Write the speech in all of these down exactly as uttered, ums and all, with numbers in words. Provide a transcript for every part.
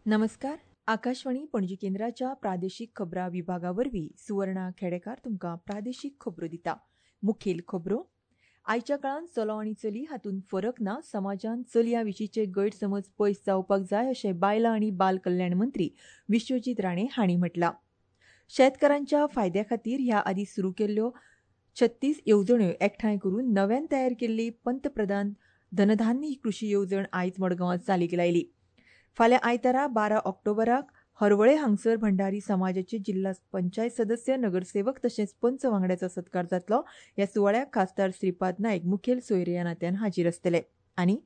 नमस्कार. आकाशवाणी पणजी केंद्राच्या प्रादेशीक खबरां विभागा वरवीं सुवर्णा खेडेकार तुमकां प्रादेशीक खबरो दिता. मुखेल खबरो. आयच्या काळांत चलो आनी चली हातूंत फरक ना. समाजान चलयां विशींचे गैरसमज पयस जावपाक जाय अशें बायलां आनी बाल कल्याण मंत्री विश्वजीत राणे हांणी म्हटलां. शेतकारांच्या फायद्या खातीर ह्या आदीं सुरू केल्ल्यो छत्तीस येवजण्यो एकठांय करून नव्यान तयार केल्ली पंतप्रधान धनधान्य कृशी येवजण आयज मडगांवांत चालीक लायली. फाल्यां आयतारा बारा ऑक्टोबराक हरवळे हांगसर भंडारी समाजाचे जिल्हा पंचायत सदस्य, नगरसेवक तशेंच पंच वांगड्याचो सत्कार जातलो. ह्या सुवाळ्याक खासदार श्रीपाद नायक मुखेल सोयरे ह्या नात्यान हाजीर आसतले. आनी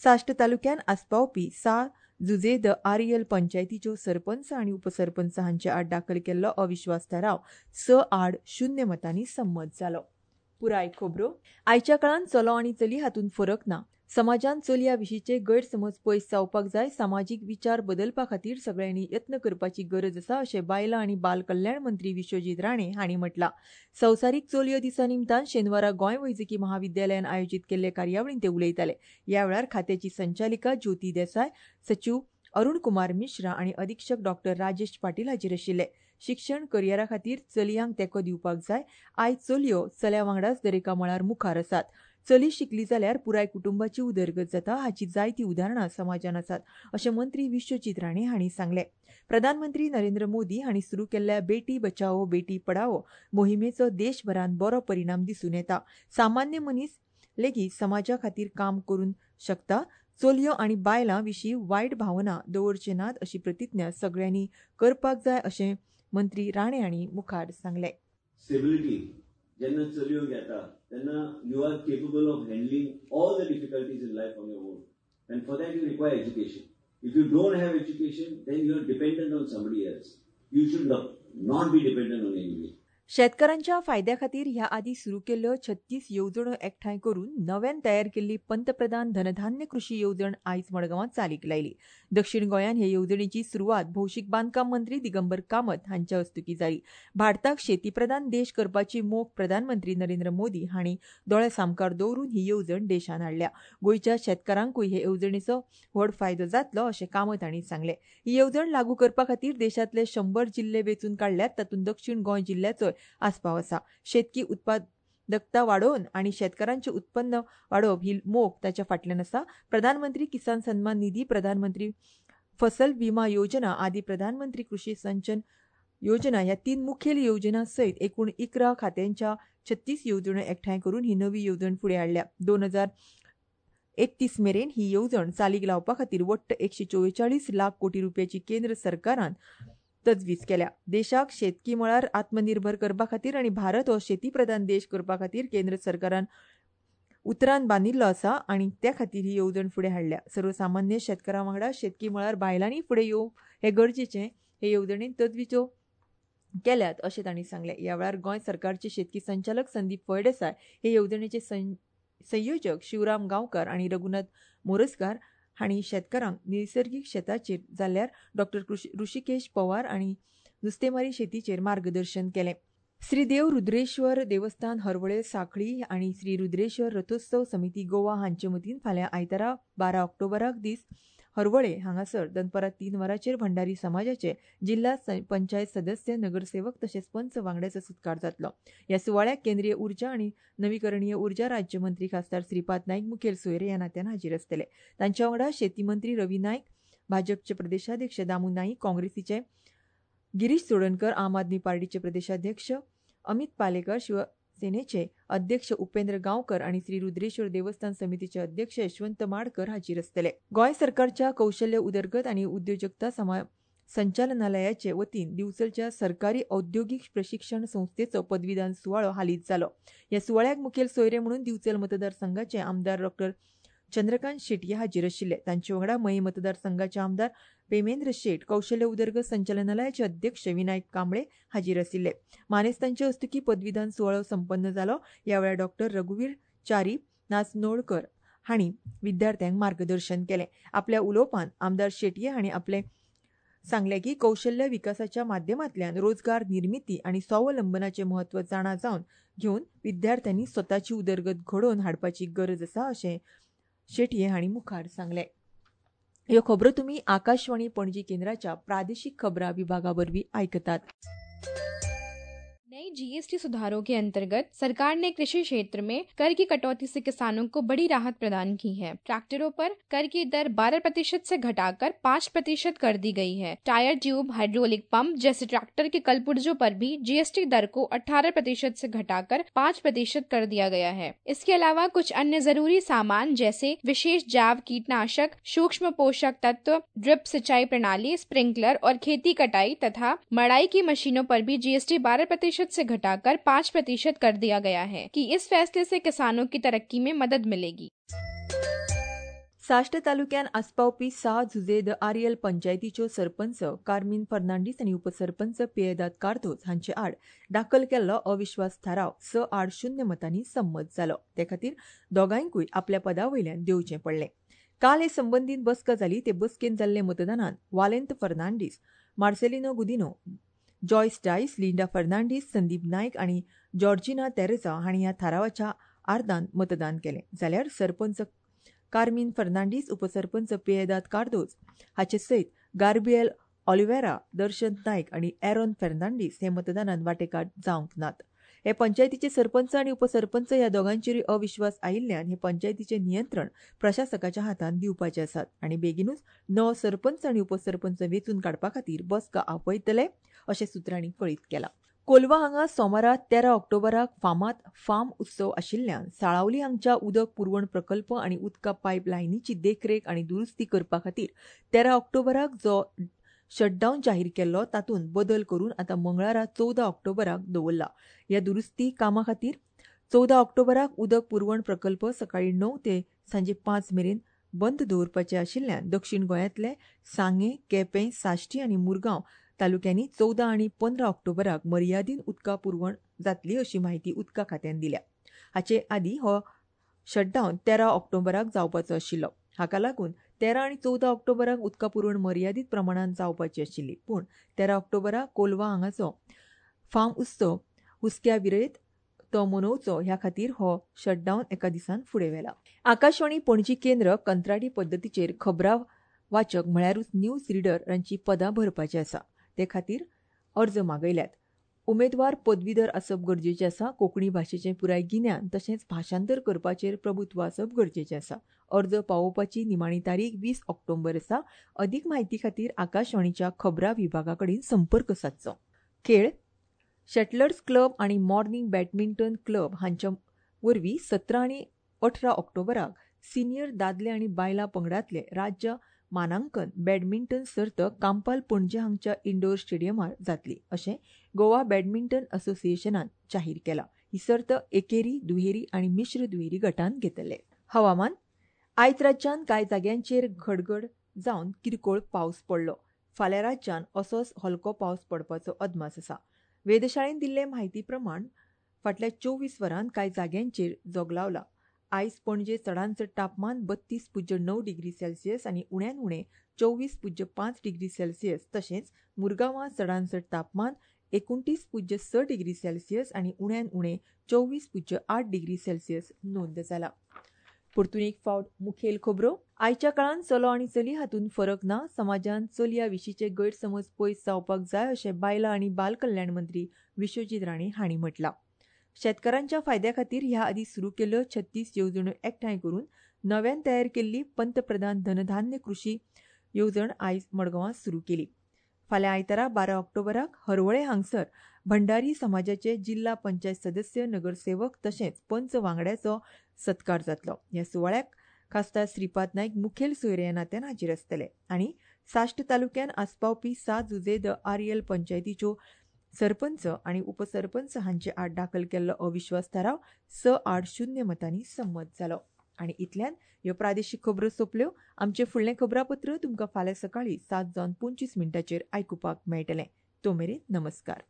साश्ट तालुक्यान आस्पावपी सा जुजे the Ariel पंचायतीच्यो सरपंच आनी उपसरपंच हांचे आड दाखल केल्लो अविश्वास थाराव स आड शून्य मतांनी संमत जालो. पुराय खबरो. आयच्या काळांत चलो आनी चली हातूंत फरक ना. समाजान चलयां विशींचे गैरसमज पयस जावपाक जाय. सामाजीक विचार बदलपा खातीर सगळ्यांनी यत्न करपाची गरज आसा अशें बायलां आनी बाल कल्याण मंत्री विश्वजीत राणे हांणी म्हटलां. संवसारीक चलयो दिसा निमतान शेनवारा गोंय वैजकी महाविद्यालयान आयोजीत केल्ले कार्यावळींत ते उलयताले. ह्या वेळार खात्याची संचालिका ज्योती देसाय, सचीव अरुण कुमार मिश्रा आनी अधिक्षक डॉक्टर राजेश पाटील हाजीर आशिल्ले. शिक्षण करियरा खातीर चलयांक तेंको दिवपाक जाय. आयज चलयो चल्या वांगडाच दरेका मळार मुखार आसात. चली शिकली जाल्यार पुराय कुटुंबाची उदरगत जाता हाची जायतीं उदाहरणां समाजान आसात अशें मंत्री विश्वजीत राणे हांणी सांगलें. प्रधानमंत्री नरेंद्र मोदी हांणी सुरू केल्ल्या बेटी बचाओ बेटी पढाओ मोहिमेचो देशभरांत बरो परिणाम दिसून येता. सामान्य मनीस लेगीत समाजा खातीर काम करूंक शकता. चलयो आनी बायलां विशीं वायट भावना दवरचे नात अशी प्रतिज्ञा सगळ्यांनी करपाक जाय अशें मंत्री राणे हांणी मुखार सांगलें. स्टेबिलिटी जेन्ना चलयो घेता तेन्ना you are capable of handling all the difficulties in life on your own, and for that you require education. If you don't have education then you are dependent on somebody else. You should not be dependent on anybody. शेतकारांच्या फायद्या खातीर ह्या आदीं सुरू केल्ल्यो छत्तीस येवजण्यो एकठांय करून नव्यान तयार केल्ली पंतप्रधान धनधान्य कृशी येवजण आयज मडगांवांत चालीक लायली. दक्षिण गोंयांत हे येवजणेची सुरवात भौशीक बांदकाम मंत्री दिगंबर कामत हांच्या हस्तुकीं जाली. भारताक शेतीप्रधान देश करपाची मोख प्रधानमंत्री नरेंद्र मोदी हांणी दोळ्या सामकार दवरून ही येवजण देशान हाडल्या. गोंयच्या शेतकारांकूय हे येवजणेचो व्हड फायदो जातलो अशें कामत हांणी सांगलें. ही येवजण लागू करपा खातीर देशांतले शंबर जिल्ले वेंचून काडल्यात, तातूंत दक्षिण गोंय जिल्ल्याचोय आस्पाव आसा. शेतकी उत्पादकता वाडोवन आनी शेतकारांचें उत्पन्न वाडोवप ही मोख ताच्या फाटल्यान आसा. प्रधानमंत्री किसान सन्मान निधी, प्रधानमंत्री फसल विमा योजना आदी प्रधानमंत्री कृषी सिंचन योजना ह्या तीन मुखेल योजना सयत एकूण इकरा खात्यांच्या छत्तीस येवजण्यो एकठांय करून ही नवी येवजण फुडें हाडल्या. दोन हजार एकतीस मेरेन ही येवजण चालीक लावपा खातीर वट्ट एकशे चोवेचाळीस लाख कोटी रुपयाची केंद्र सरकारान तजवीज केल्या. देशाक शेतकी मळार आत्मनिर्भर करपा खातीर आनी भारत हो शेतीप्रधान देश करपा खातीर केंद्र सरकारान उतरान बांदिल्लो आसा आनी त्या खातीर ही येवजण फुडें हाडल्या. सर्वसामान्य शेतकारां वांगडा शेतकी मळार बायलांनी फुडें येवप हें गरजेचें हे येवजणेन तजवीजो केल्यात अशें तांणी सांगलें. ह्या वेळार गोंय सरकारचे शेतकी संचालक संदीप फळदेसाय, हे येवजणेचे संयोजक शिवराम गांवकार आनी रघुनाथ मोरजकार हांणी शेतकारांक निसर्गीक शेताचेर जाल्यार डॉक्टर ऋषिकेश पवार आनी नुस्तेमारी शेतीचेर मार्गदर्शन केलें. श्री देव रुद्रेश्वर देवस्थान हरवळे साखळी आनी श्री रुद्रेश्वर रथोत्सव समिती गोवा हांचे वतीन फाल्यां आयतारा बारा ऑक्टोबराक दीस हरवळे हांगासर दनपारां तीन वरांचेर भंडारी समाजाचे जिल्हा पंचायत सदस्य, नगरसेवक तशेंच पंच वांगड्याचो सत्कार जातलो. ह्या सुवाळ्याक केंद्रीय उर्जा आनी नवीकरणीय उर्जा राज्यमंत्री खासदार श्रीपाद नायक मुखेल सोयरे ह्या नात्यान हाजीर आसतले. तांच्या वांगडा शेती मंत्री रवी नायक, भाजपचे प्रदेशाध्यक्ष दामू नाईक, काँग्रेसीचे गिरीश चोडणकर, आम आदमी पार्टीचे प्रदेशाध्यक्ष अमित पालेकर, शिवसेनेचे अध्यक्ष उपेंद्र गांवकर आनी श्री रुद्रेश्वर देवस्थान समितीचे अध्यक्ष यशवंत माडकर हाजीर आसतले. गोंय सरकारच्या कौशल्य उदरगत आनी उद्योजकता संचालनालयाचे वतीन दिवचलच्या सरकारी औद्योगिक प्रशिक्षण संस्थेचो पदवीदान सुवाळो हालींच जालो. ह्या सुवाळ्याक मुखेल सोयरे म्हणून दिवचल मतदारसंघाचे आमदार डॉक्टर चंद्रकांत शेटये हाजीर आशिल्ले. तांचे वांगडा मये मतदारसंघाचे आमदार पेमेंद्र शेट, कौशल्य उदरगत संचालनालयाचे अध्यक्ष विनायक कांबळे हाजीर आशिल्ले. मानेस्तांचे हस्तुकीं पदवीदान सुवाळो संपन्न जालो. ह्या वेळार डॉक्टर रघुवीर च्यारी नाचनोळकर हांणी विद्यार्थ्यांक मार्गदर्शन केलें. आपल्या उलोवपान आमदार शेटये हांणी आपले सांगलें की कौशल्य विकासाच्या माध्यमांतल्यान रोजगार निर्मिती आनी स्वावलंबनाचें म्हत्व जाणा जावन घेवन विद्यार्थ्यांनी स्वताची उदरगत घडोवन हाडपाची गरज आसा अशें शेटये हांणी मुखार सांगलें. ह्यो खबरो तुमी आकाशवाणी पणजी केंद्राच्या प्रादेशिक खबरां विभागा वरवीं आयकतात. नई जीएसटी सुधारों के अंतर्गत सरकार ने कृषि क्षेत्र में कर की कटौती से किसानों को बड़ी राहत प्रदान की है. ट्रैक्टरों पर कर की दर बारह प्रतिशत से घटाकर पाँच प्रतिशत कर दी गई है. टायर ट्यूब, हाइड्रोलिक पंप जैसे ट्रैक्टर के कलपुर्जों पर भी जीएसटी दर को अठारह प्रतिशत से घटाकर पाँच प्रतिशत कर दिया गया है. इसके अलावा कुछ अन्य जरूरी सामान जैसे विशेष जैव कीटनाशक, सूक्ष्म पोषक तत्व, ड्रिप सिंचाई प्रणाली, स्प्रिंकलर और खेती कटाई तथा मड़ाई की मशीनों पर भी जीएसटी बारह प्रतिशत से घटाकर पाँच प्रतिशत कर दिया गया है कि इस फैसले से किसानों की तरक्की में मदद मिलेगी. साश्ट तालुक्यान आस्पावपी सा जुझे the Ariel पंचायतीच्यो सरपंच कार्मीन फर्नांडीस आनी उपसरपंच पियेदाद कार्दोज हांचे आड दाखल केल्लो अविश्वास थाराव स आड शून्य मतांनी संमत जालो. ते खातीर दोगांयकूय आपल्या पदा वयल्यान देंवचें पडलें. काल हे संबंदीत बसका जाली. ते बसकेंत जाल्ले मतदानान वालेंत फर्नांडीस, मार्सेलिनो गुदिनो, जॉयस डायस, लिंडा फर्नांडीस, संदीप नायक आनी जॉर्जिना तेरेझा हांणी ह्या थारावाच्या आर्दान मतदान केलें. जाल्यार सरपंच कार्मीन फर्नांडीस, उपसरपंच पियेदाद कार्दोज हाचे सयत गार्बिएल ऑलिव्हेरा, दर्शन नायक आनी एरोन फर्नांडीस हे मतदानान वांटेकार जावंक नात. हे पंचायतीचे सरपंच आनी उपसरपंच ह्या दोगांचेरूय अविश्वास आयिल्ल्यान हे पंचायतीचें नियंत्रण प्रशासकाच्या हातांत दिवपाचे आसात आनी बेगीनूच नवो सरपंच आनी उपसरपंच वेंचून काडपा खातीर बसका आपयतले अशें सुत्रांनी कळीत केलां. कोलवा हांगा सोमारा तेरा ऑक्टोबराक फामाद फार्म उत्सव आशिल्ल्यान साळावली हांगच्या उदक पुरवण प्रकल्प आनी उदका पायप लायनीची देखरेख आनी दुरुस्ती करपा खातीर तेरा ऑक्टोबराक जो शटडावन जाहीर केल्लो तातूंत बदल करून आतां मंगळारा चवदा ऑक्टोबराक दवरला. ह्या दुरुस्ती कामा खातीर चवदा ऑक्टोबराक उदक पुरवण प्रकल्प सकाळीं णव ते सांजे पांच मेरेन बंद दवरपाचे आशिल्ल्यान दक्षिण गोंयांतले सांगें, केपें, साश्टी आनी मुरगांव तालुक्यांनी चवदा आनी पंदरा ऑक्टोबराक मर्यादीन उदका पुरवण जातली अशी म्हायती उदका खात्यान दिल्या. हाचे आदीं हो शटडावन तेरा ऑक्टोबराक जावपाचो आशिल्लो. हाका लागून तेरा आनी चवदा ऑक्टोबराक उदका पुरवण मर्यादीत प्रमाणान जावपाची आशिल्ली. पूण तेरा ऑक्टोबराक कोलवा हांगाचो फार्म उत्सव हुस्क्या विरयत तो मनोवचो ह्या खातीर हो शटडावन एका दिसान फुडें व्हेला. आकाशवाणी पणजी केंद्र कंत्राटी पद्दतीचेर खबरां वाचक म्हळ्यारूच न्यूज रिडरांची पदां भरपाची आसा. ते खातीर अर्ज मागयल्यात. उमेदवार पदवीधर आसप गरजेचें आसा. कोंकणी भाशेचें पुराय गिन्यान तशेंच भाशांतर करपाचेर प्रभुत्व आसप गरजेचें आसा. अर्ज पावोवपाची निमाणी तारीख वीस ऑक्टोबर आसा. अदीक म्हायती खातीर आकाशवाणीच्या खबरां विभागा कडेन संपर्क सादचो. खेळ. शटलर्स क्लब आनी मॉर्निंग बॅडमिंटन क्लब हांच्या वरवीं सतरा आनी अठरा ऑक्टोबराक सिनियर दादले आनी बायलां पंगडांतले राज्य मानांकन बॅडमिंटन सर्त कांपाल पणजे हांगच्या इंडोर स्टेडियमार जातली अशें गोवा बॅडमिंटन असोसिएशनान जाहीर केलां. ही सर्त एकेरी, दुहेरी आनी मिश्र दुहेरी गटांत घेतले. हवामान. आयज राज्यांत कांय जाग्यांचेर घडघड जावन किरकोळ पावस पडलो. फाल्यां राज्यांत असोच हलको पावस पडपाचो अदमास आसा. वेधशाळेन दिल्ले म्हायती प्रमाण फाटल्या चोवीस वरांत कांय जाग्यांचेर जोगलावला. आयज पणजे चडांत चड तापमान बत्तीस पुज्य णव डिग्री सेल्सियस आनी उण्यान उणें चोवीस पुज्य पांच डिग्री सेल्सियस तशेंच मुरगांवां चडांत चड तापमान एकुणतीस पुज्य स डिग्री सेल्सियस आनी उण्यान उणें चोवीस पुज्य आठ डिग्री सेल्सियस नोंद जाला. परतून एक फावट मुखेल खबरो. आयच्या काळांत चलो आनी चली हातूंत फरक ना. समाजान चलया विशींचे गैरसमज पयस जावपाक जाय अशें बायलां आनी बाल कल्याण मंत्री विश्वजीत राणे हांणी म्हटलां. शेतकारांच्या फायद्या खातीर ह्या आदीं सुरू केल्ल्यो छत्तीस येवजण्यो एकठांय करून नव्यान तयार केल्ली पंतप्रधान धनधान्य कृशी येवजण आयज मडगांवां सुरू केली. फाल्यां आयतारा बारा ऑक्टोबराक हरवळे हांगसर भंडारी समाजाचे जिल्हा पंचायत सदस्य, नगरसेवक तशेंच पंच वांगड्याचो सत्कार जातलो. ह्या सुवाळ्याक खासदार श्रीपाद नायक मुखेल सोयरे ह्या नात्यान हाजीर आसतले. आनी साश्ट तालुक्यान आस्पावपी सात जुझे the Ariel पंचायतीच्यो सरपंच आनी उपसरपंच हांचे आड दाखल केल्लो अविश्वास थाराव स आठ शून्य मतांनी संमत जालो. आनी इतल्यान ह्यो प्रादेशीक खबरो सोंपल्यो. आमचें फुडलें खबरापत्र तुमकां फाल्यां सकाळीं सात जावन पंचवीस मिनटांचेर आयकुपाक मेळटलें. तो मेरेन नमस्कार.